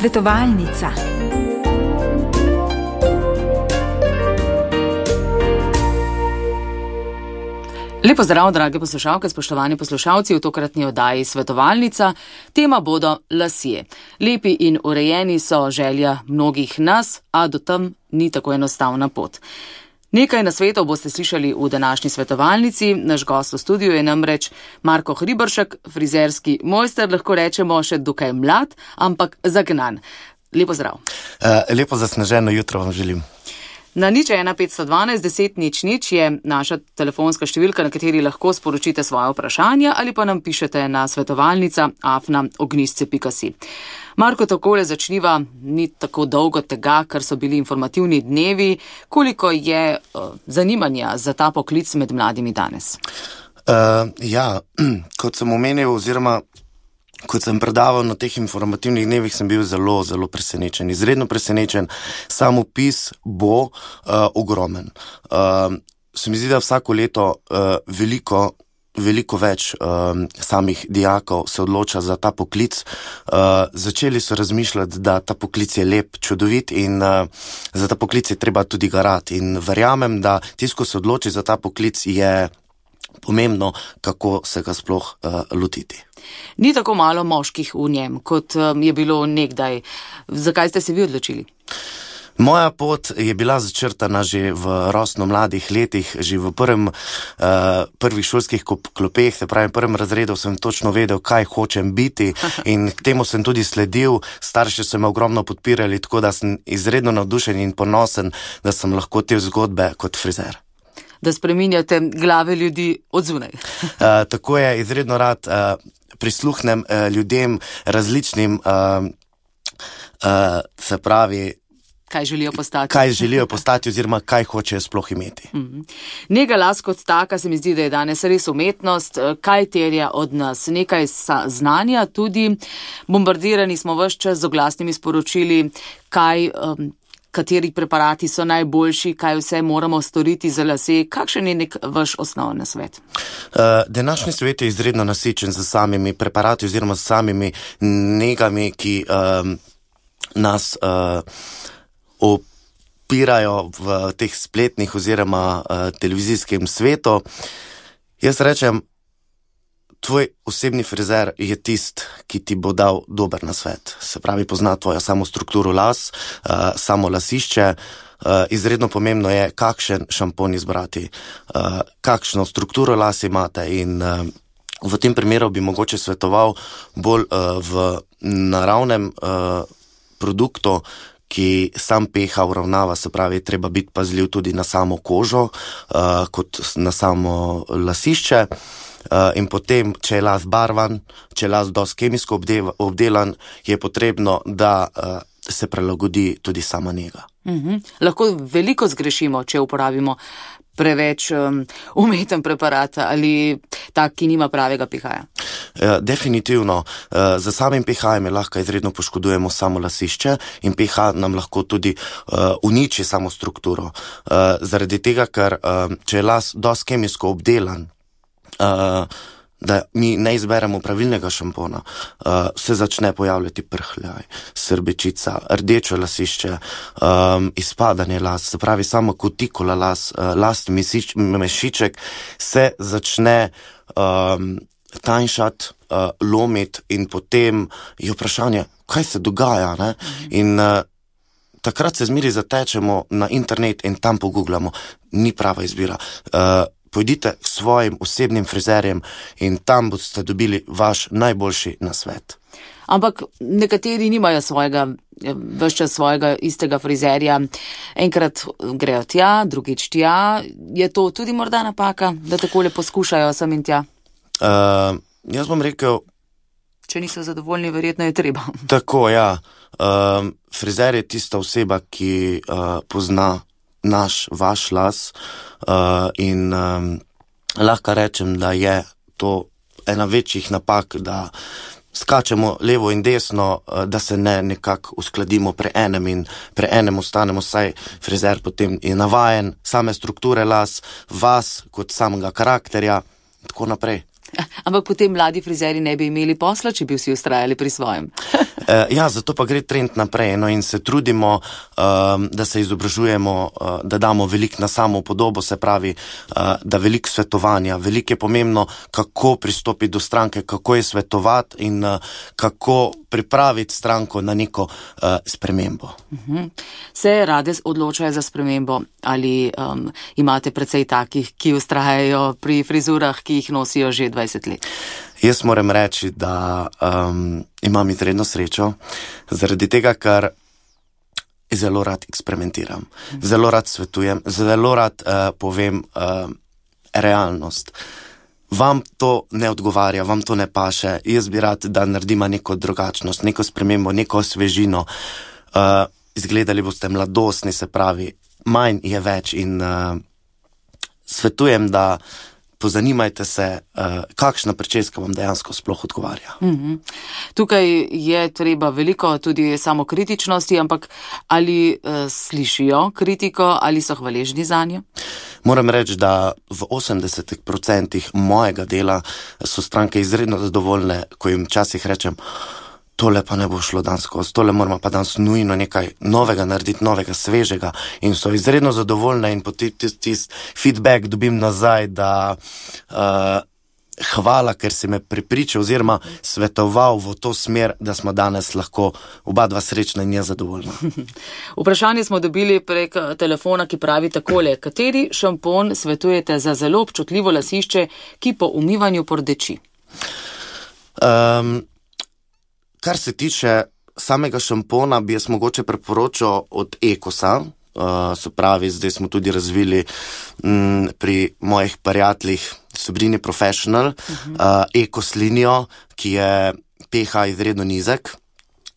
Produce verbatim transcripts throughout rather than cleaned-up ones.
Svetovalnica. Lepo zdrav, drage poslušalke, spoštovani poslušalci, v tokratni oddaji Svetovalnica. Tema bodo lasje. Lepi in urejeni so želja mnogih nas, a do tam ni tako enostavna pot. Nekaj nasvetov boste slišali v današnji svetovalnici. Naš gost v studiu je namreč Marko Hriberšek, frizerski mojster, lahko rečemo še dokaj mlad, ampak zagnan. Lepo zdrav. Uh, lepo zasneženo jutro vam želim. Na nič ena petsto dvanajst deset nič nič je naša telefonska številka, na kateri lahko sporočite svoje vprašanja ali pa nam pišete na svetovalnica afna ognjišče pika si. Marko, takole začniva, ni tako dolgo tega, ker so bili informativni dnevi. Koliko je uh, zanimanja za ta poklic med mladimi danes? Uh, ja, kot sem omenil oziroma kot sem predaval na teh informativnih dnevih, sem bil zelo, zelo presenečen. Izredno presenečen. Sam opis bo uh, ogromen. Uh, se mi zdi, da vsako leto uh, veliko veliko več um, samih dijakov se odloča za ta poklic. Uh, začeli so razmišljati, da ta poklic je lep, čudovit in uh, za ta poklic je treba tudi garati. In verjamem, da tisto, ko se odloči za ta poklic, je pomembno, kako se ga sploh uh, lotiti. Ni tako malo moških v njem, kot um, je bilo nekdaj. Zakaj ste se vi odločili? Moja pot je bila začrtana že v rosno mladih letih, že v prvem, uh, prvih šolskih klopeh, se pravi, v prvem razredu sem točno vedel, kaj hočem biti in k temu sem tudi sledil. Starši so me ogromno podpirali, tako da sem izredno navdušen in ponosen, da sem lahko te zgodbe kot frizer. Da spreminjate glave ljudi od zunaj. uh, tako je, izredno rad uh, prisluhnem uh, ljudem različnim, uh, uh, se pravi, Kaj želijo postati. Kaj želijo postati oziroma kaj hočejo sploh imeti. Mm-hmm. Nega las kot taka se mi zdi, da je danes res umetnost. Kaj terja od nas? Nekaj znanja tudi. Bombardirani smo ves čas z oglasnimi sporočili, kaj, um, kateri preparati so najboljši, kaj vse moramo storiti za lase. Kakšen je nek vaš osnovni nasvet? Uh, današnji svet je izredno nasičen z samimi preparati oziroma z samimi negami, ki um, nas uh, opirajo v teh spletnih oziroma uh, televizijskem svetu. Jaz rečem, tvoj osebni frizer je tist, ki ti bo dal dober nasvet. Se pravi, pozna tvojo samo strukturo las, uh, samo lasišče. Uh, izredno pomembno je, kakšen šampon izbrati, uh, kakšno strukturo las imate in uh, v tem primeru bi mogoče svetoval bolj uh, v naravnem uh, produktu, ki sam pH uravnava, se pravi, treba biti pazljiv tudi na samo kožo, uh, kot na samo lasišče. Uh, in potem, če je las barvan, če je las dosti kemijsko obdelan, je potrebno, da uh, se prilagodi tudi sama njega. Mm-hmm. Lahko veliko zgrešimo, če uporabimo preveč um, umeten preparat ali tak, ki nima pravega pH-ja. Uh, definitivno. Uh, za samim pH-jem lahko izredno poškodujemo samo lasišče in pH nam lahko tudi uh, uniči samo strukturo. Uh, zaradi tega, ker uh, če je las dosti kemijsko obdelan, uh, da mi ne izberemo pravilnega šampona, uh, se začne pojavljati prhljaj, srbečica, rdečo lasišče, um, izpadanje las, se pravi samo kutikula las, uh, lastni mesič, mešiček se začne um, tanjšati, uh, lomiti in potem je vprašanje, kaj se dogaja, ne? Mhm. In uh, takrat se zmeri zatečemo na internet in tam pogooglamo, ni prava izbira. Uh, Pojdite k svojim osebnim frizerjem in tam boste dobili vaš najboljši nasvet. Ampak nekateri nimajo svojega, ves čas svojega istega frizerja. Enkrat grejo tja, drugič tja. Je to tudi morda napaka, da takole poskušajo sem in tja? Uh, jaz bom rekel... Če niso zadovoljni, verjetno je treba. Tako, ja. Uh, frizer je tista oseba, ki uh, pozna naš, vaš las uh, in um, lahko rečem, da je to ena večjih napak, da skačemo levo in desno, uh, da se ne nekako uskladimo pri enem in pri enem ostanemo, saj frizer potem je navajen same strukture las, vas kot samega karakterja in tako naprej. Ampak potem mladi frizeri ne bi imeli posla, če bi vsi ustrajali pri svojem. Ja, zato pa gre trend naprej, no, in se trudimo, um, da se izobražujemo, uh, da damo veliko na samo podobo, se pravi, uh, da veliko svetovanja, veliko je pomembno, kako pristopiti do stranke, kako je svetovati in uh, kako pripraviti stranko na neko uh, spremembo. Uh-huh. Se rade odločajo za spremembo ali um, imate precej takih, ki ustrajajo pri frizurah, ki jih nosijo že dvajset let? Jaz moram reči, da um, imam izredno srečo, zaradi tega, ker zelo rad eksperimentiram, zelo rad svetujem, zelo rad uh, povem uh, realnost. Vam to ne odgovarja, vam to ne paše, jaz bi rad, da naredimo neko drugačnost, neko spremembo, neko osvežino. Uh, izgledali boste mladostni, se pravi, manj je več in uh, svetujem, da pozanimajte se, uh, kakšna pričeska vam dejansko sploh odgovarja. Mm-hmm. Tukaj je treba veliko tudi samokritičnosti, ampak ali uh, slišijo kritiko, ali so hvaležni zanjo? Moram reči, da v osemdesetih procentih mojega dela so stranke izredno zadovoljne, ko jim včasih rečem, tole pa ne bo šlo danes skozi, tole moramo pa danes nujno nekaj novega narediti, novega, svežega, in so izredno zadovoljne in potem tisti tis feedback dobim nazaj, da uh, hvala, ker si me prepričal oziroma svetoval v to smer, da smo danes lahko oba dva srečna in nezadovoljna. Vprašanje smo dobili prek telefona, ki pravi takole: kateri šampon svetujete za zelo občutljivo lasišče, ki po umivanju pordeči? Um, Kar se tiče samega šampona, bi jaz mogoče priporočal od Ekosa, uh, se pravi, zdaj smo tudi razvili m, pri mojih prijateljih Sobrini Professional, uh-huh. uh, Ekos linijo, ki je pH izredno nizek,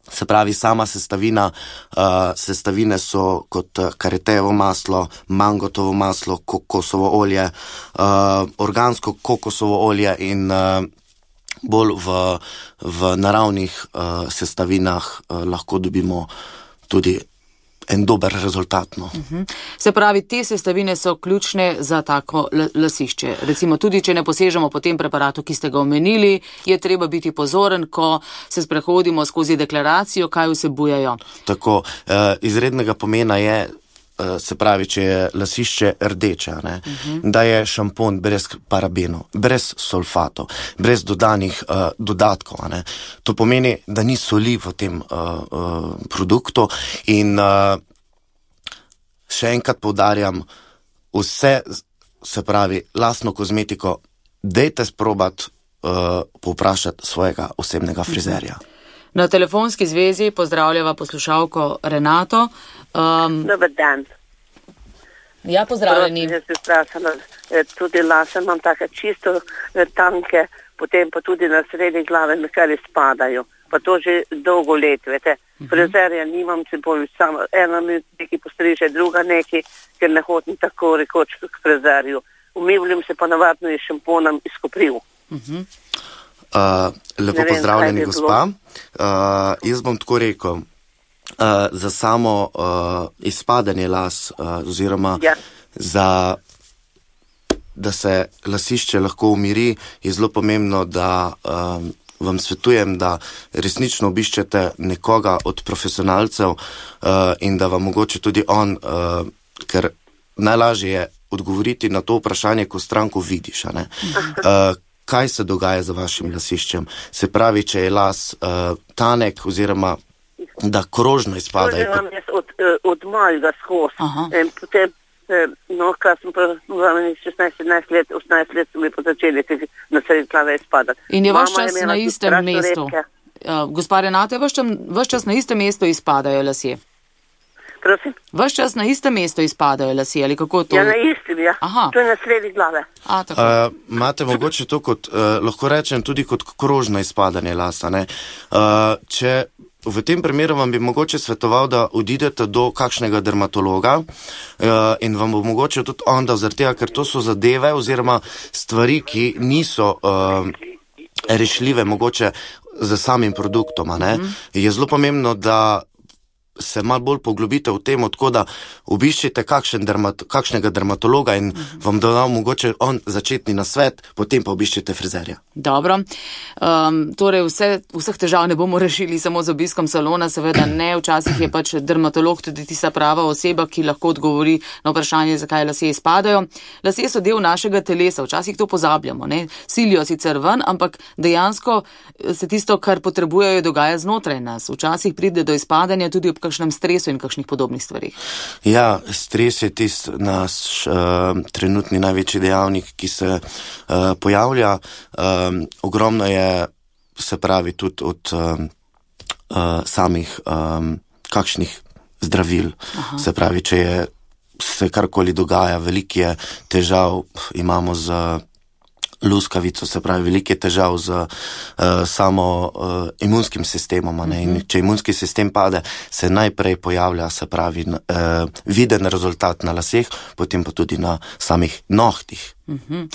se pravi, sama sestavina, uh, sestavine so kot karetejevo maslo, mangotovo maslo, kokosovo olje, uh, organsko kokosovo olje in uh, bolj v, v naravnih uh, sestavinah uh, lahko dobimo tudi en dober rezultat. No. Uh-huh. Se pravi, te sestavine so ključne za tako l- lasišče. Recimo tudi, če ne posežemo po tem preparatu, ki ste ga omenili, je treba biti pozoren, ko se sprehodimo skozi deklaracijo, kaj vsebujejo. Tako, uh, izrednega pomena je, se pravi, če je lasišče rdeče, ne, uh-huh. da je šampon brez parabenov, brez sulfatov, brez dodanih uh, dodatkov. Ne. To pomeni, da ni soli v tem uh, uh, produktu in uh, še enkrat poudarjam, vse, se pravi, lastno kozmetiko, dejte sprobati uh, povprašati svojega osebnega frizerja. Uh-huh. Na telefonski zvezi pozdravljava poslušalko Renato. Um, Dobar dan. Ja, pozdravljeni. Jaz bi vprašala, tudi lase imam take čisto tanke, potem pa tudi na sredi glave mi kar izpadajo. Pa to že dolgo let, vete. Uh-huh. Frizerja nimam, se bolj samo ena mi neki postriže, druga neki, ker ne hodim tako rekoč k frizerju. Umivljam se pa navadno iz šamponom iz kopriv. Uh-huh. Uh, lepo vem, pozdravljeni, gospa. Uh, jaz bom tako rekel, uh, za samo uh, izpadanje las, uh, oziroma ja. za, da se lasišče lahko umiri, je zelo pomembno, da um, vam svetujem, da resnično obiščete nekoga od profesionalcev uh, in da vam mogoče tudi on, uh, ker najlažje je odgovoriti na to vprašanje, ko stranko vidiš, a ne? Uh, kaj se dogaja z vašim lasiščem. Se pravi, če je las uh, tanek oziroma da krožno izpada. To že vam jaz od, od malega skos. In potem, no, kaj sem pa šestnajst sedemnajst let, osemnajst let so mi pa začeli na sredi glave izpadati. In je vaš čas na istem mestu. Uh, gospa Renata, je vaš čas na istem mestu izpadajo lasje? Prosim? Vaš čas na istem mestu izpadajo lasje, ali kako to? Ja, na istem, ja. Aha. To je na sredi glave. A, tako. Uh, imate mogoče to kot, uh, lahko rečem, tudi kot krožno izpadanje lasa, ne? Uh, če v tem primeru vam bi mogoče svetoval, da odidete do kakšnega dermatologa uh, in vam bo mogoče tudi on dal zaradi tega, ker to so zadeve oziroma stvari, ki niso uh, rešljive mogoče z samim produktom, a ne? Mm. Je zelo pomembno, da se malo bolj poglobite v tem, tako da obiščite kakšen dermat, kakšnega dermatologa in uh-huh. vam dodal mogoče on začetni nasvet, potem pa obiščite frizerja. Dobro. Um, torej vse, vseh težav ne bomo rešili samo z obiskom salona, seveda ne. Včasih je pač dermatolog tudi tista prava oseba, ki lahko odgovori na vprašanje, zakaj lasje izpadajo. Lasje so del našega telesa, včasih to pozabljamo, ne. Silijo sicer ven, ampak dejansko se tisto, kar potrebujejo, dogaja znotraj nas. Včasih pride do izpadanja tudi ob kakšnem stresu in kakšnih podobnih stvarih. Ja, stres je tist naš uh, trenutni največji dejavnik, ki se uh, pojavlja. Um, ogromno je, se pravi, tudi od um, uh, samih um, kakšnih zdravil. Aha. Se pravi, če je se karkoli dogaja, veliko je težav, imamo z luskavico, se pravi, velike težav z uh, samo uh, imunskim sistemom. Ne? In če imunski sistem pade, se najprej pojavlja, se pravi, uh, viden rezultat na laseh, potem pa tudi na samih nohtih. Uh-huh.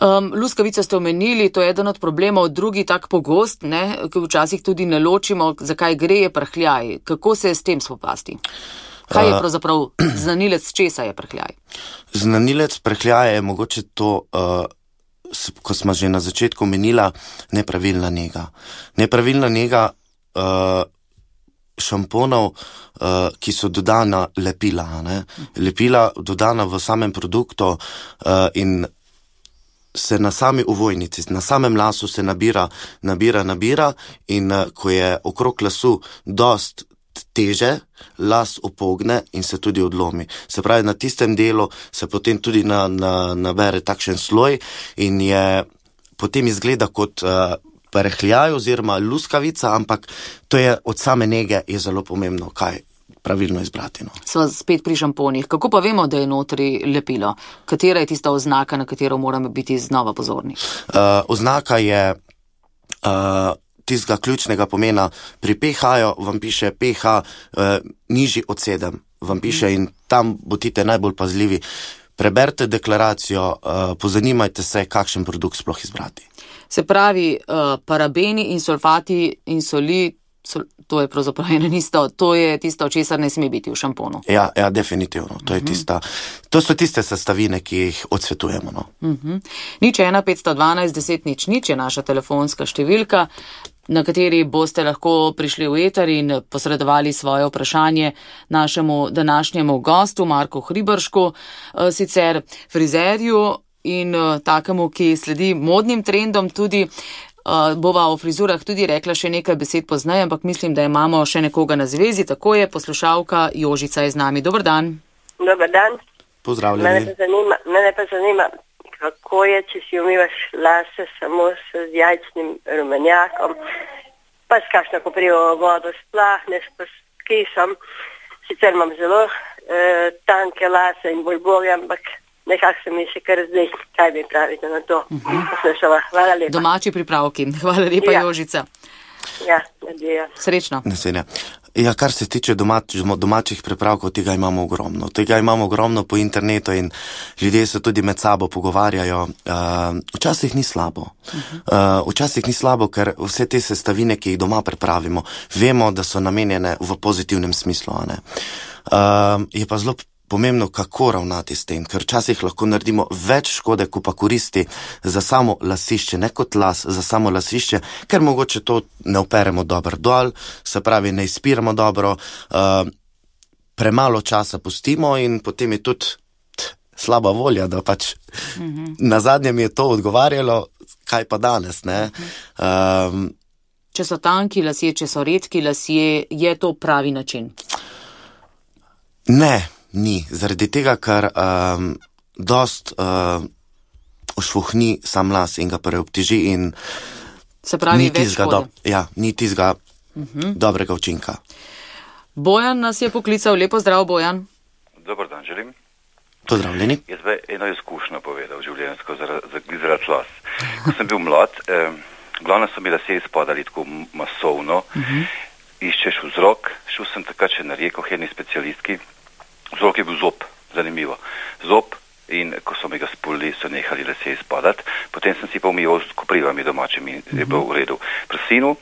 Um, luskavico ste omenili, to je eden od problemov, drugi tak pogost, ne, ki včasih tudi ne ločimo, zakaj gre, je prhljaj. Kako se je s tem spopasti? Kaj je pravzaprav znanilec, česa je prhljaj? Znanilec prhljaja je mogoče to, uh, ko smo že na začetku omenila, nepravilna nega. Nepravilna nega uh, šamponov, uh, ki so dodana lepila. Ne? Lepila dodana v samem produktu uh, in se na sami ovojnici, na samem lasu se nabira, nabira, nabira in uh, ko je okrog lasu dost teže, las opogne in se tudi odlomi. Se pravi, na tistem delu se potem tudi na, na, nabere takšen sloj in je potem izgleda kot uh, prhljaj oziroma luskavica, ampak to je od same nege je zelo pomembno, kaj pravilno izbrati. No. Sva spet pri šamponih. Kako pa vemo, da je notri lepilo? Katera je tista oznaka, na katero moramo biti znova pozorni? Uh, oznaka je uh, tistega ključnega pomena. Pri pH-ju vam piše pH eh, nižji od sedem, vam piše in tam bodite najbolj pazljivi. Preberite deklaracijo, eh, pozanimajte se, kakšen produkt sploh izbrati. Se pravi, eh, parabeni in sulfati in soli, sol, to je pravzaprav eno isto, to je tisto, česar ne sme biti v šamponu. Ja, ja, definitivno. To, je uh-huh. tista, to so tiste sestavine, ki jih odsvetujemo. No. Uh-huh. Nič ena petsto dvanajst deset nič nič je naša telefonska številka, na kateri boste lahko prišli v eter in posredovali svoje vprašanje našemu današnjemu gostu, Marku Hriberšku, sicer frizerju in takemu, ki sledi modnim trendom tudi. Bova o frizurah tudi rekla še nekaj besed pozneje, ampak mislim, da imamo še nekoga na zvezi. Tako je, poslušalka Jožica je z nami. Dobar dan. Dobar dan. Pozdravljeni. Mene pa zanima, mene pa zanima kako je, če si umivaš lase samo s jajčnim rumenjakom, pa s kakšno koprivo vodo splahneš, pa s kisom. Sicer imam zelo eh, tanke lase in bolj bolje, ampak nekako se mi še kar zdaj, kaj mi pravite na to. Uh-huh. Hvala lepa. Domači pripravki. Hvala lepa, ja. Jožica. Ja, nadija. Srečno. Naslednja. Ja, kar se tiče domač, domačih pripravkov, tega imamo ogromno. Tega imamo ogromno po internetu in ljudje se tudi med sabo pogovarjajo. Uh, včasih ni slabo. Uh, včasih ni slabo, ker vse te sestavine, ki jih doma pripravimo, vemo, da so namenjene v pozitivnem smislu. A ne? Uh, je pa zelo pomembno, kako ravnati s tem, ker včasih lahko naredimo več škode, ko pa koristi za samo lasišče, ne kot las, za samo lasišče, ker mogoče to ne operemo dobro dol, se pravi, ne izpiramo dobro, uh, premalo časa pustimo in potem je tudi t, slaba volja, da pač mm-hmm. na zadnje mi je to odgovarjalo, kaj pa danes, ne? Um, če so tanki lasje, če so redki lasje, je to pravi način? Ne. Ni, zaradi tega, ker um, dost uh, ošvohni sam las in ga preobteži in se pravi, več škode. Do, ja, ni tizga uh-huh. dobrega učinka. Bojan nas je poklical. Lepo zdrav, Bojan. Dobar dan, želim. Pozdravljeni. Jaz bi eno izkušnjo povedal življenjsko zaradi las. Ko sem bil mlad, eh, glavno so mi lasje izpadali tako masovno, uh-huh. iščeš vzrok, šel sem takrat še na reko, jedni specialistki. Vzrok je bil zob, zanimivo. Zob in ko so mi ga spulili, so nehali lasje izpadati. Potem sem si pa umival s koprivami domačimi, mm-hmm. je bilo v redu. Pri sinu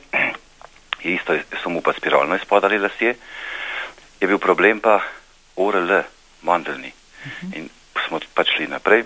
je isto, so mu pa spiralno izpadali lasje. je bil problem pa O R L, mandeljni. Uh-huh. In smo pač šli naprej,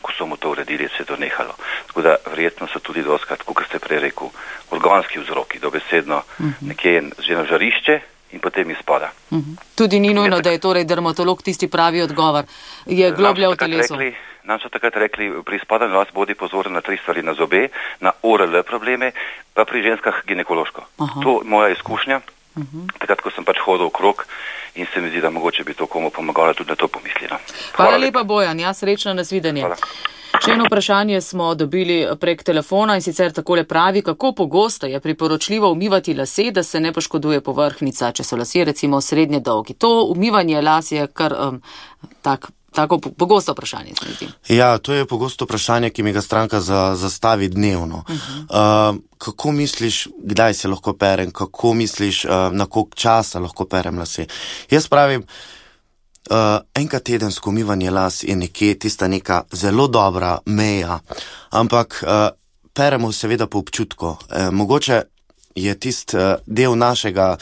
ko so mu to uredili, se je to nehalo. Tako da verjetno so tudi doskrat, kot ste prej rekel, organski vzroki, dobesedno uh-huh. nekje že na žarišče in potem izpada. Uh-huh. Tudi ni nujno, da je torej dermatolog tisti pravi odgovor. Je globlja v telesu. Rekli, nam so takrat rekli, pri izpadanju las bodi pozoren na tri stvari, na zobe, na O R L probleme, pa pri ženskah ginekološko. Aha. To je moja izkušnja. Uh-huh. Takrat, ko sem pač hodil okrog in se mi zdi, da mogoče bi to komu pomagalo, tudi na to pomislila. Hvala, Hvala lepa, lepa, Bojan. Ja, srečno nasvidenje. Hvala. Še eno vprašanje smo dobili prek telefona in sicer takole pravi, kako pogosto je priporočljivo umivati lase, da se ne poškoduje povrhnjica, če so lasje recimo srednje dolgi. To umivanje las je kar um, tak, tako pogosto vprašanje, se mi zdi. Ja, to je pogosto vprašanje, ki mi ga stranka za, zastavi dnevno. Uh-huh. Uh, kako misliš, kdaj se lahko perem, kako misliš, uh, na koliko časa lahko perem lase? Jaz pravim, Uh, enkrat tedensko umivanje las je nekje tista neka zelo dobra meja, ampak uh, peremo seveda po občutku. Uh, mogoče je tist uh, del našega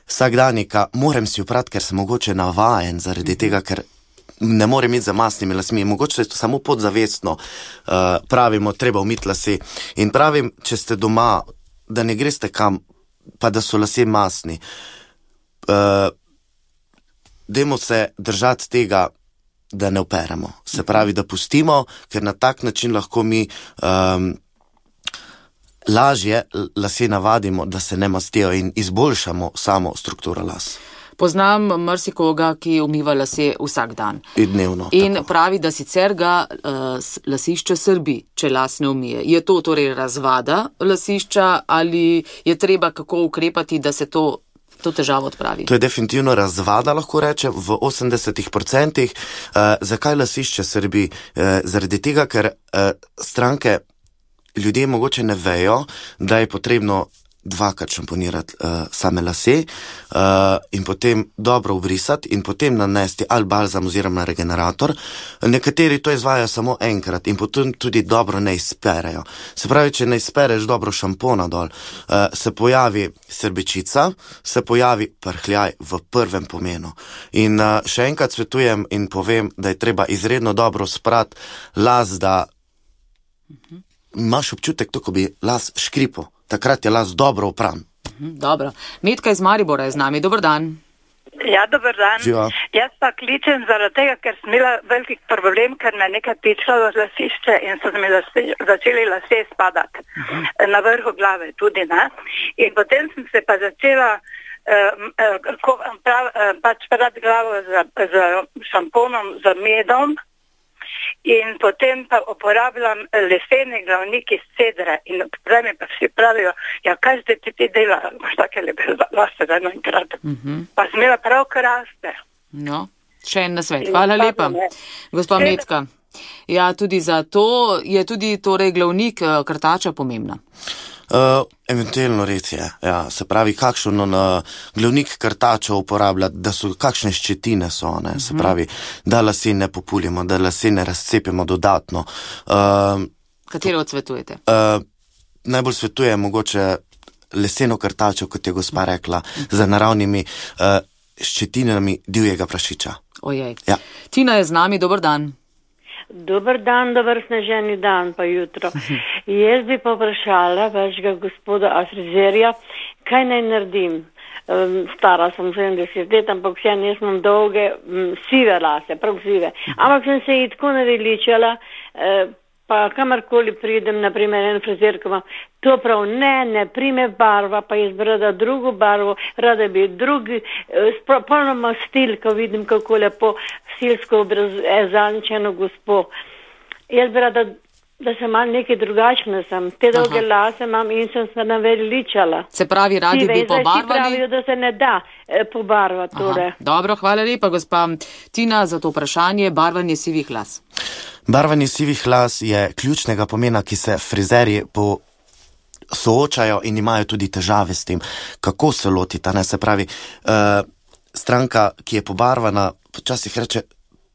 vsakdanjika, moram si oprati, ker sem mogoče navajen zaradi tega, ker ne morem iti za masnimi lasmi. Mogoče je to samo podzavestno, uh, pravimo, treba umiti lase. In pravim, če ste doma, da ne greste kam, pa da so lase masni. Uh, Dajmo se držati tega, da ne operemo. Se pravi, da pustimo, ker na tak način lahko mi um, lažje lase navadimo, da se ne mastijo in izboljšamo samo strukturo las. Poznam marsikoga, ki umiva lase vsak dan. In dnevno. In tako. Pravi, da sicer ga uh, lasišče srbi, če las ne umije. Je to torej razvada lasišča ali je treba kako ukrepati, da se to to težavo odpravi? To je definitivno razvada, lahko reče, v osemdesetih procentih. Uh, zakaj lasišče srbi? Uh, zaradi tega, ker uh, stranke, ljudje mogoče ne vejo, da je potrebno dvakrat šamponirati uh, same lase uh, in potem dobro obrisati in potem nanesti ali balzam oziroma regenerator. Nekateri to izvajajo samo enkrat in potem tudi dobro ne izperejo. Se pravi, če ne izpereš dobro šampona dol, uh, se pojavi srbečica, se pojavi prhljaj v prvem pomenu. In uh, še enkrat svetujem in povem, da je treba izredno dobro sprati las, da uh-huh. imaš občutek, to, ko bi las škripal. Takrat je las dobro opran. Dobro. Metka iz Maribora je z nami. Dobar dan. Ja, dobar dan. Živa. Jaz pa kličem zaradi tega, ker sem imela velik problem, ker me nekaj pičalo lasišče in so mi lase, začeli lase spadati. Uh-huh. Na vrhu glave tudi, ne? In potem sem se pa začela uh, uh, prav, uh, pač prati glavo z, z šamponom, z medom. In potem pa uporabljam leseni glavnik iz cedre in premi pa vsi pravijo, ja, kaj zdaj ti ti dela, imaš take lepe lase za eno enkrat. Uh-huh. Pa sem imela prav kraste. No, še en nasvet. Hvala lepa, gospa Metka. Ja, tudi za to je tudi torej glavnik krtača pomembna. Uh, eventualno res je, ja, se pravi, kakšno na glavnik krtača uporabljati, da so kakšne ščetine so, ne, se pravi, da lase ne populimo, da lase ne razcepimo dodatno. Uh, Katero odsvetujete? Uh, najbolj svetujem mogoče leseno krtačo, kot je gospa rekla, za naravnimi uh, ščetinami divjega prašiča. Ojej. Ja. Tina je z nami, dober dan. Dobar dan, dober sneženi dan pa jutro. Jaz bi povprašala vašega gospoda frizerja, kaj naj naredim. Um, stara sem sedemdeset let, ampak vse jaz imam dolge, um, sive lase, prav sive. Ampak sem se jih tako naveličala, uh, pa kamarkoli pridem, naprimer en frizer, ko ima to prav ne, ne prime barva, pa jaz bi rada drugo barvo, rada bi drugi, uh, polnoma stil, ko vidim, kako lepo stilsko obrazaničeno gospo. Jaz bi rada, da sem malo nekaj drugačna sem. Te dolge Aha. lase imam in sem se naveličala. Se pravi, radi Sive, bi pobarvali? Zdaj pravijo, da se ne da eh, pobarvati. Torej. Dobro, hvala lepa, gospa Tina, za to vprašanje. Barvanje sivih las. Barvanje sivih las je ključnega pomena, ki se frizerji po soočajo in imajo tudi težave s tem, kako se lotita. Ne? Se pravi, uh, stranka, ki je pobarvana, počasih reče,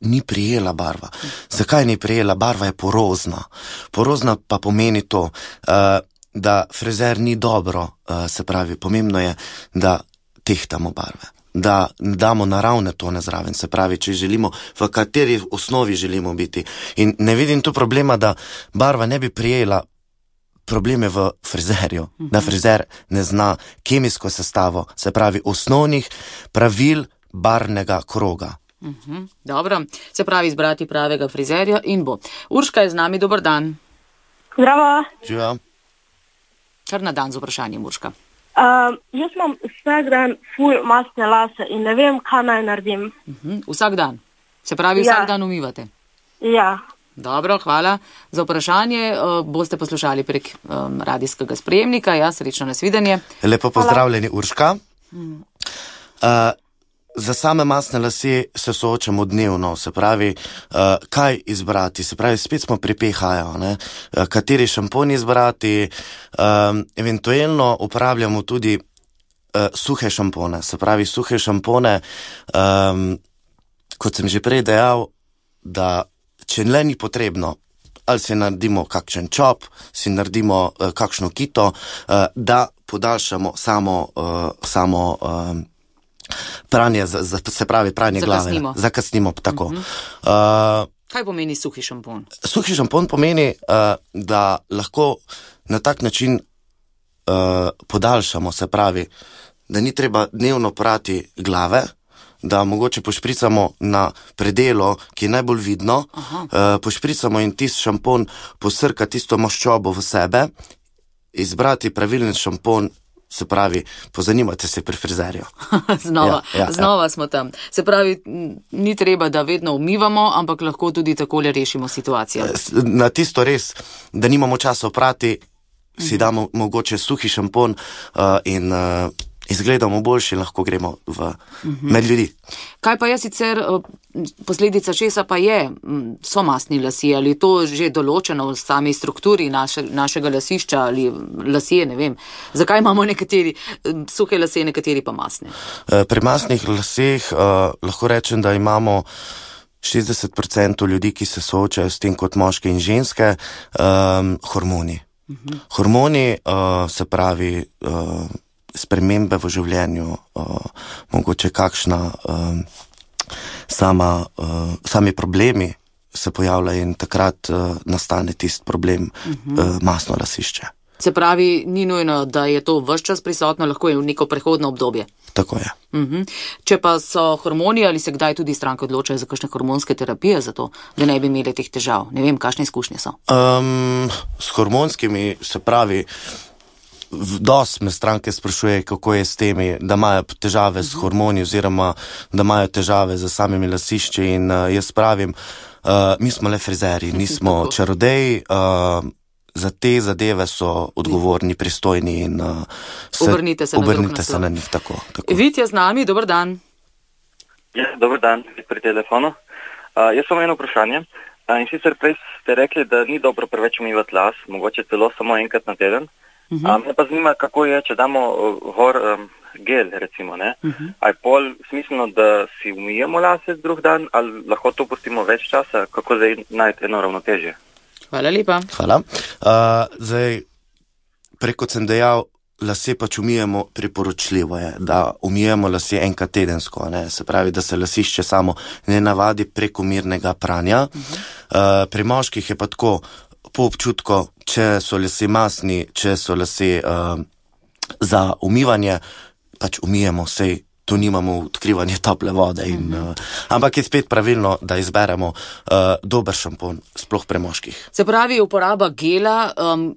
ni prijela barva. Zakaj ni prijela? Barva je porozna. Porozna pa pomeni to, uh, da frizer ni dobro, uh, se pravi, pomembno je, da tehtamo barve. da damo naravne tone zraven, se pravi, če želimo, v kateri osnovi želimo biti. In ne vidim tu problema, da barva ne bi prijela probleme v frizerju, uh-huh. da frizer ne zna kemijsko sestavo, se pravi, osnovnih pravil barvnega kroga. Uh-huh. Dobro, se pravi, izbrati pravega frizerja in bo. Urška je z nami, dober dan. Zdravo. Živa. Kar na dan z vprašanjem, Urška. Uh, jaz imam vsak dan ful mastne lase in ne vem, kaj naj naredim. Uh-huh. Vsak dan? Se pravi, vsak ja. dan umivate? Ja. Dobro, hvala za vprašanje. Uh, boste poslušali prek um, radijskega sprejemnika. Ja, srečno nasvidenje. Lepo pozdravljeni, Urška. Hmm. Uh, za same masne lase se soočamo dnevno, se pravi, uh, kaj izbrati, se pravi, spet smo pri pe ha-ju, ne? Uh, kateri šampon izbrati, um, eventualno uporabljamo tudi uh, suhe šampone, se pravi, suhe šampone, um, kot sem že prej dejal, da če le ni potrebno, ali si naredimo kakšen čop, si naredimo uh, kakšno kito, uh, da podaljšamo samo, uh, samo um, pranje, z, z, se pravi pranje Zakasnimo. glave. Zakasnimo. Tako. Uh-huh. Uh, Kaj pomeni suhi šampon? Suhi šampon pomeni, uh, da lahko na tak način uh, podaljšamo, se pravi, da ni treba dnevno prati glave, da mogoče pošpricamo na predelo, ki je najbolj vidno, uh, pošpricamo in tisti šampon posrka tisto maščobo v sebe, izbrati pravilen šampon, se pravi, pozanimate se pri frizerju. znova, ja, ja, znova ja. smo tam. Se pravi, ni treba, da vedno umivamo, ampak lahko tudi takole rešimo situacijo. Na tisto res, da nimamo časa oprati, si damo mogoče suhi šampon uh, in uh, izgledamo boljši, lahko gremo v med ljudi. Kaj pa je sicer posledica česa pa je, so mastni lasje, ali to že določeno v sami strukturi naše, našega lasišča ali lasje, ne vem. Zakaj imamo nekateri suhe lase, nekateri pa mastne? Pri mastnih laseh uh, lahko rečem, da imamo šestdeset procentov ljudi, ki se soočajo s tem kot moške in ženske, um, hormoni. Uh-huh. Hormoni, uh, se pravi, uh, spremembe v življenju, uh, mogoče kakšna um, sama, uh, sami problemi se pojavljajo in takrat uh, nastane tisti problem uh-huh. uh, masno lasišče. Se pravi, ni nujno, da je to ves čas prisotno, lahko je v neko prehodno obdobje. Tako je. Uh-huh. Če pa so hormoni, ali se kdaj tudi stranke odločajo za kakšne hormonske terapije za to, da ne bi imeli teh težav? Ne vem, kakšne izkušnje so? Um, s hormonskimi, se pravi, dost me stranke sprašuje, kako je s temi, da imajo težave uh-huh. s hormoni oziroma da imajo težave z samimi lasišči in uh, jaz pravim, uh, mi smo le frizeri, nismo čarodeji, uh, za te zadeve so odgovorni, pristojni in uh, se, obrnite se, obrnite na, se na njih. Tako, tako. Vit je z nami, dober dan. Ja, dober dan, pri telefonu. Uh, jaz sem eno vprašanje. Uh, in sicer prej ste rekli, da ni dobro preveč umivati las, mogoče celo samo enkrat na teden. Uh-huh. Uh, me pa zanima, kako je, če damo uh, gor um, gel, recimo, ne? Uh-huh. A je pol smiselno, da si umijemo lase drug dan, ali lahko to pustimo več časa? Kako zdaj najti eno ravnotežje? Hvala lepa. Hvala. Uh, zdaj, preko sem dejal, lase pač umijemo, priporočljivo je, da umijemo lase enkrat tedensko, ne? Se pravi, da se lasišče samo ne navadi prekomernega pranja. Uh-huh. Uh, pri moških je pa tako, po občutku, če so lase masni, če so lase uh, za umivanje, pač umijemo, sej tu nimamo odkrivanje tople vode. In, uh, ampak je spet pravilno, da izberemo uh, dober šampon, sploh pri moških. Se pravi, uporaba gela, um,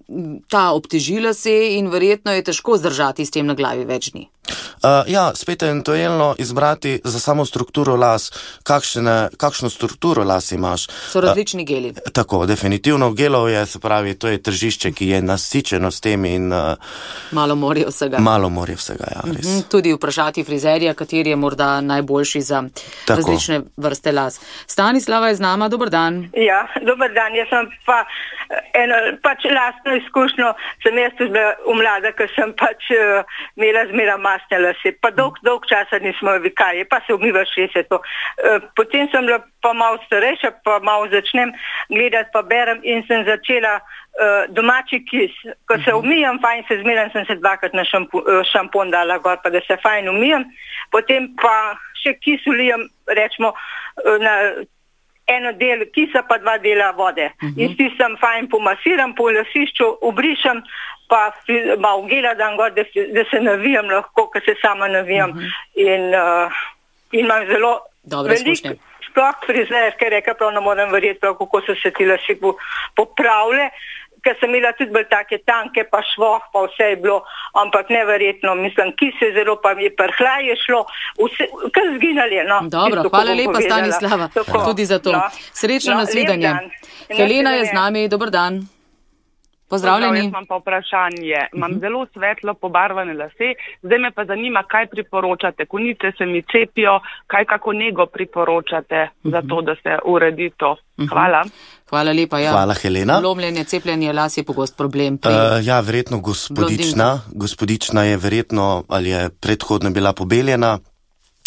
ta obteži lase in verjetno je težko zdržati s tem na glavi več dni. Uh, ja, spet eventualno izbrati za samo strukturo las, kakšne, kakšno strukturo las imaš. So različni uh, geli. Tako, definitivno gelov je, se pravi, to je tržišče, ki je nasičeno s tem in uh, malo morijo vsega. Malo morijo vsega, ja, res. Mm-hmm, tudi vprašati frizerja, kateri je morda najboljši za Tako. različne vrste las. Stanislava je z nama, dober dan. Ja, dober dan, jaz sem pa eno, pač lastno izkušnjo, sem jaz tudi bila umlada, ker sem pač uh, imela zmera masne lase, pa dolg, dolg časa nismo vikaje, pa se umivaš šestdeset. Uh, potem sem bila pa malo starejša, pa malo začnem gledati, pa berem in sem začela uh, domači kis. Ko se umijam, fajn se zmeram, sem se dvakrat na šampu, uh, šampon dala gor, pa da se fajn umijam, potem pa še kis ulijem, rečemo, na eno del kisa pa dva dela vode. Uh-huh. In s tistem fajn pomasiram po lasišču, obrišem, pa malo gela dam gor, da, da se navijam lahko, ker se sama navijam. Uh-huh. In, uh, in imam zelo veliko, sploh frizer, ker reka prav ne morem verjeti, prav, kako so se ti lasi popravile, ker sem imela tudi bolj take tanke, pa švoh, pa vse je bilo, ampak neverjetno, mislim, ki se zelo pa mi je prhlaj je šlo, vse, kar zginali, no. Dobro, tisto, hvala lepa, Stanislava, tako, tudi za to. No, Srečno no, nasvidenje. Helena je z nami, dober dan. Pozdravljeni. Jaz imam pa vprašanje. Imam uh-huh. zelo svetlo pobarvane lase, zdaj me pa zanima, kaj priporočate. Konice se mi cepijo, kaj kako nego priporočate uh-huh. za to, da se uredi to. Hvala. Uh-huh. Hvala lepa. Ja. Hvala, Helena. Lomljenje, cepljenje las je pogost problem. Pri... Uh, ja, verjetno gospodična. Gospodična je verjetno, ali je predhodno bila pobeljena,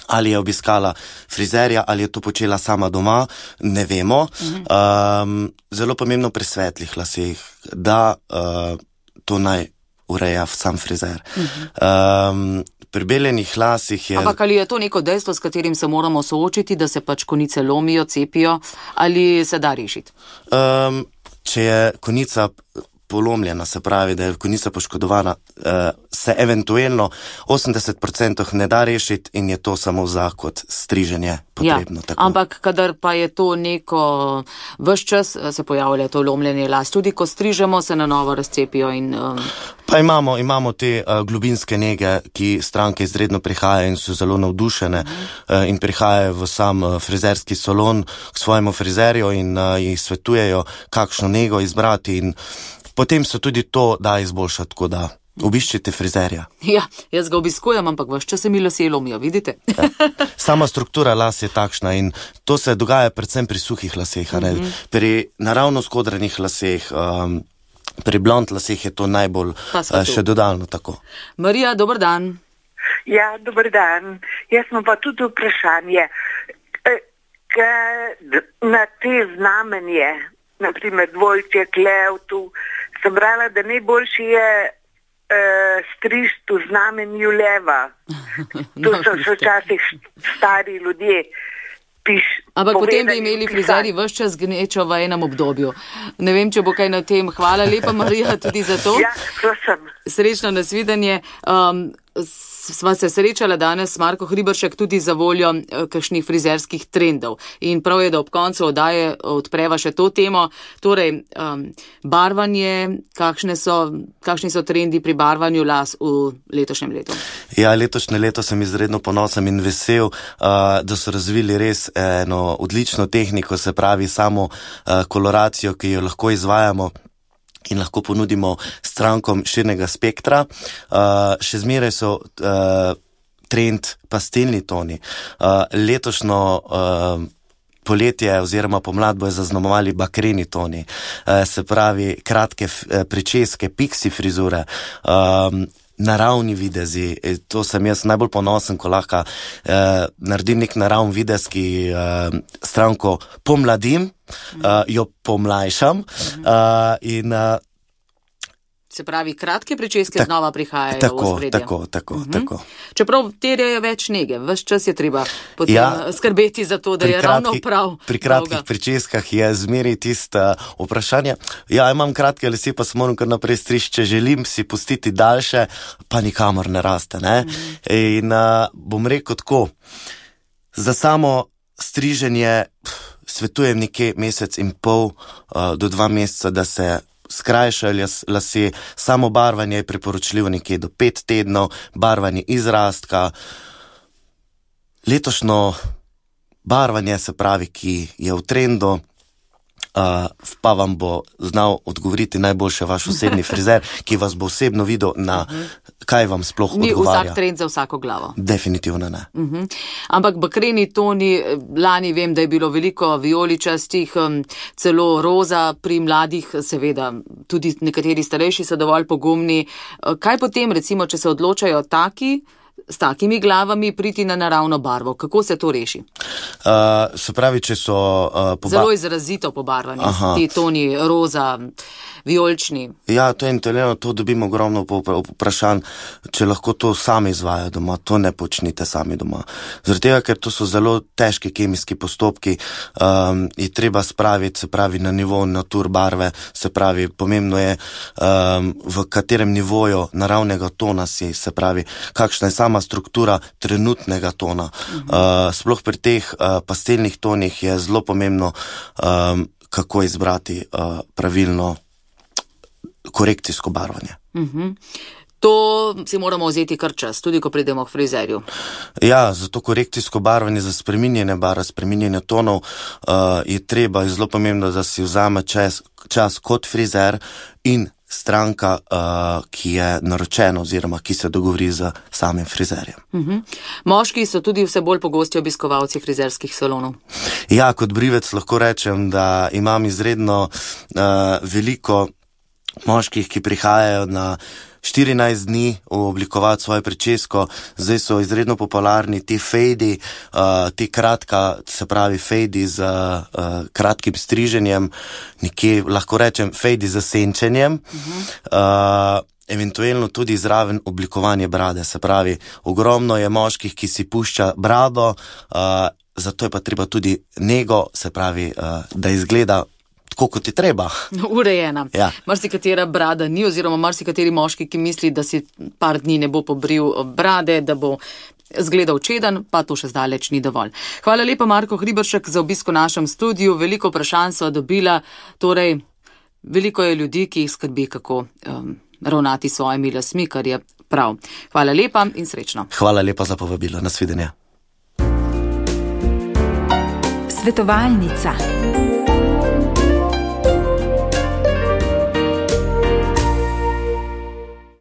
ali je obiskala frizerja, ali je to počela sama doma, ne vemo. Uh-huh. Um, zelo pomembno pri svetlih laseh, da uh, to naj ureja sam frizer. Uh-huh. Um, pri beljenih lasih je... Ampak ali je to neko dejstvo, s katerim se moramo soočiti, da se pač konice lomijo, cepijo, ali se da rešiti? Um, če je konica polomljena, se pravi, da je konica poškodovana, eh, se eventualno osemdeset procentov ne da rešiti in je to samo za kot striženje potrebno. Ja, tako. Ampak kadar pa je to neko, vse čas se pojavlja to lomljenje las, tudi ko strižemo, se na novo razcepijo in... Um... Pa imamo, imamo te uh, globinske nege, ki stranke izredno prihajajo in so zelo navdušene mm. uh, in prihajajo v sam uh, frizerski salon k svojemu frizerju in uh, jih svetujejo, kakšno nego izbrati in potem se tudi to da izboljšati, tako da obiščite frizerja. Ja, jaz ga obiskujem, ampak vse čas se mi lasje lomijo, vidite? Ja. Sama struktura las je takšna in to se dogaja predvsem pri suhih laseh, mm-hmm. pri naravno skodranih laseh, um, pri blond laseh je to najbolj uh, še dodalno tako. Marija, dober dan. Ja, dober dan. Jaz imam pa tudi vprašanje. E, na te znamenje, naprimer dvojče, klev, tu, sem brala, da najboljši je uh, strižiti v znamenju leva. To so še včasih stari ljudje. Piš, Ampak potem bi imeli frizeri ves čas gnečo v enem obdobju. Ne vem, če bo kaj na tem. Hvala lepa, Marija, tudi za to. Ja, to sem. Srečno nasvidenje. Um, sva se srečala danes s Marko Hriberšek tudi za voljo kakšnih frizerskih trendov. In prav je, da ob koncu oddaje odpreva še to temo. Torej, um, barvanje, kakšne so, kakšni so trendi pri barvanju las v letošnjem letu? Ja, letošnje leto sem izredno ponosen in vesel, uh, da so razvili res eno odlično tehniko, se pravi samo uh, koloracijo, ki jo lahko izvajamo in lahko ponudimo strankom širnega spektra. Uh, še zmeraj so uh, trend pastelni toni. Uh, letošnjo uh, poletje oziroma pomlad bojo zaznamovali bakreni toni. Uh, se pravi kratke f- pričeske, pixi frizure, um, naravni videzi. To sem jaz najbolj ponosen, ko lahko uh, naredim nek naravni videz, ki uh, stranko pomladim, uh, jo pomlajšam uh, in uh, se pravi, kratke pričeske tak, znova prihajajo tako, v ospredje. Tako, tako, uh-huh. tako. Čeprav terjajo več nege, ves čas je treba potem ja, skrbeti za to, da je kratki, ravno prav. Pri kratkih dolga. Pričeskah je zmeri tista vprašanje. Ja, imam kratke lase, pa se moram kar naprej striči, če želim si pustiti daljše, pa nikamor ne raste. Ne? Uh-huh. In uh, bom rekel tako, za samo striženje svetujem nekje mesec in pol uh, do dva meseca, da se skrajšali lase, samo barvanje je priporočljivo nekje do pet tednov, barvanje izrastka. Letošnjo barvanje, se pravi, ki je v trendu, uh, pa vam bo znal odgovoriti najboljše vaš osebni frizer, ki vas bo osebno videl na kaj vam sploh Ni odgovarja. Ni vsak trend za vsako glavo. Definitivno ne. Uh-huh. Ampak bakreni toni, lani vem, da je bilo veliko vijoličastih, celo roza pri mladih, seveda tudi nekateri starejši so dovolj pogumni. Kaj potem, recimo, če se odločajo taki s takimi glavami priti na naravno barvo. Kako se to reši? Uh, se pravi, če so... Uh, poba- Zelo izrazito pobarvani, Aha. ti toni roza, vijolični. Ja, to je intelligentno, to dobimo ogromno vprašanj, če lahko to sami izvajajo doma, to ne počnite sami doma. Zaradi tega, ker to so zelo težki kemijski postopki, um, je treba spraviti, se pravi, na nivo natur barve, se pravi, pomembno je, um, v katerem nivoju naravnega tona si, se pravi, kakšna je sama struktura trenutnega tona. Mhm. Uh, sploh pri teh uh, pastelnih tonih je zelo pomembno, um, kako izbrati uh, pravilno korekcijsko barvanje. Uh-huh. To si moramo vzeti kar čas, tudi ko pridemo k frizerju. Ja, zato korekcijsko barvanje za spreminjanje barv, spreminjanje tonov uh, je treba, je zelo pomembno, da si vzame čas, čas kot frizer in stranka, uh, ki je naročena oziroma ki se dogovori z samim frizerjem. Uh-huh. Moški so tudi vse bolj pogosti obiskovalci frizerskih salonov. Ja, kot brivec lahko rečem, da imam izredno uh, veliko moških, ki prihajajo na štirinajst dni oblikovati svojo pričesko. Zdaj so izredno popularni ti fejdi, uh, ti kratka, se pravi fejdi z uh, kratkim striženjem, nekje lahko rečem fejdi z senčenjem. Uh-huh. Uh, eventualno tudi zraven oblikovanje brade, se pravi, ogromno je moških, ki si pušča brado, uh, zato je pa treba tudi nego, se pravi, uh, da izgleda tako, kot je treba. Urejena. Ja. Marsikatera brada ni, oziroma marsikateri moški, ki misli, da si par dni ne bo pobril brade, da bo zgledal čeden, pa to še zdaleč ni dovolj. Hvala lepa, Marko Hriberšek, za obisk v našem studiu. Veliko vprašanj sva dobila, torej veliko je ljudi, ki jih skrbi, kako um, ravnati s svojimi lasmi, kar je prav. Hvala lepa in srečno. Hvala lepa za povabilo. Nasvidenje. Svetovalnica.